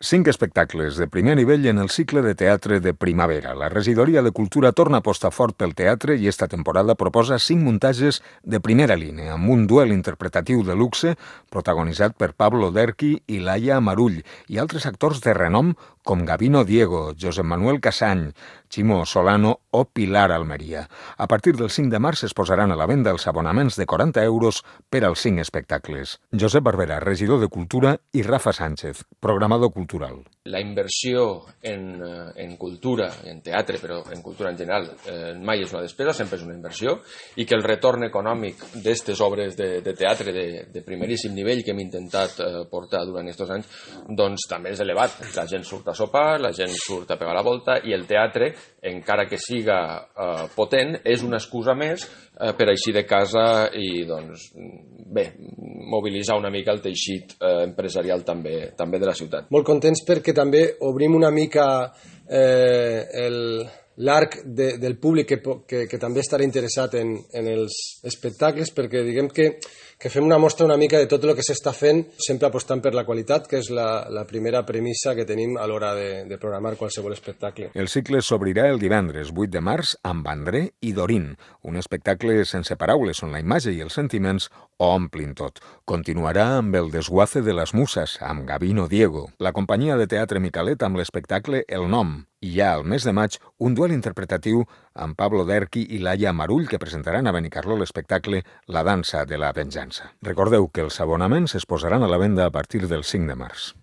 5 espectacles de primer nivell en el cicle de teatre de primavera. La Regidoria de Cultura torna a apostar fort pel teatre i esta temporada proposa 5 muntatges de primera línia, amb un duel interpretatiu de luxe protagonitzat per Pablo Derqui i Laia Marull i altres actors de renom com Gabino Diego, Josep Manuel Casany, Ximo Solano o Pilar Almeria. A partir del 5 de març es posaran a la venda els abonaments de 40 euros per als 5 espectacles. Josep Barberà, regidor de Cultura, i Rafa Sánchez, programador cultural. La inversió en cultura, en teatre, però en cultura en general, mai és una despesa, sempre és una inversió, i que el retorn econòmic d'aquestes obres de teatre de primeríssim nivell que hem intentat portar durant aquests anys, doncs també és elevat. La gent surt a sopar, la gent surt a pegar la volta, i el teatre, encara que siga potent, és una excusa més per eixir de casa i, doncs, bé, mobilitzar una mica el teixit empresarial també de la ciutat. Molt contents perquè també obrim una mica l'arc del públic que també estarà interessat en els espectacles, perquè diguem que fem una mostra una mica de tot el que s'està fent, sempre apostant per la qualitat, que és la primera premissa que tenim a l'hora de programar qualsevol espectacle. El cicle s'obrirà el divendres 8 de març amb André i Dorín, un espectacle sense paraules on la imatge i els sentiments ho omplin tot. Continuarà amb el desguace de les muses, amb Gabino Diego, la companyia de teatre Micalet amb l'espectacle El Nom, i ja al mes de maig un duel interpretatiu amb Pablo Derqui i Laia Marull que presentaran a Benicarló l'espectacle La dansa de la venjança. Recordeu que els abonaments es posaran a la venda a partir del 5 de març.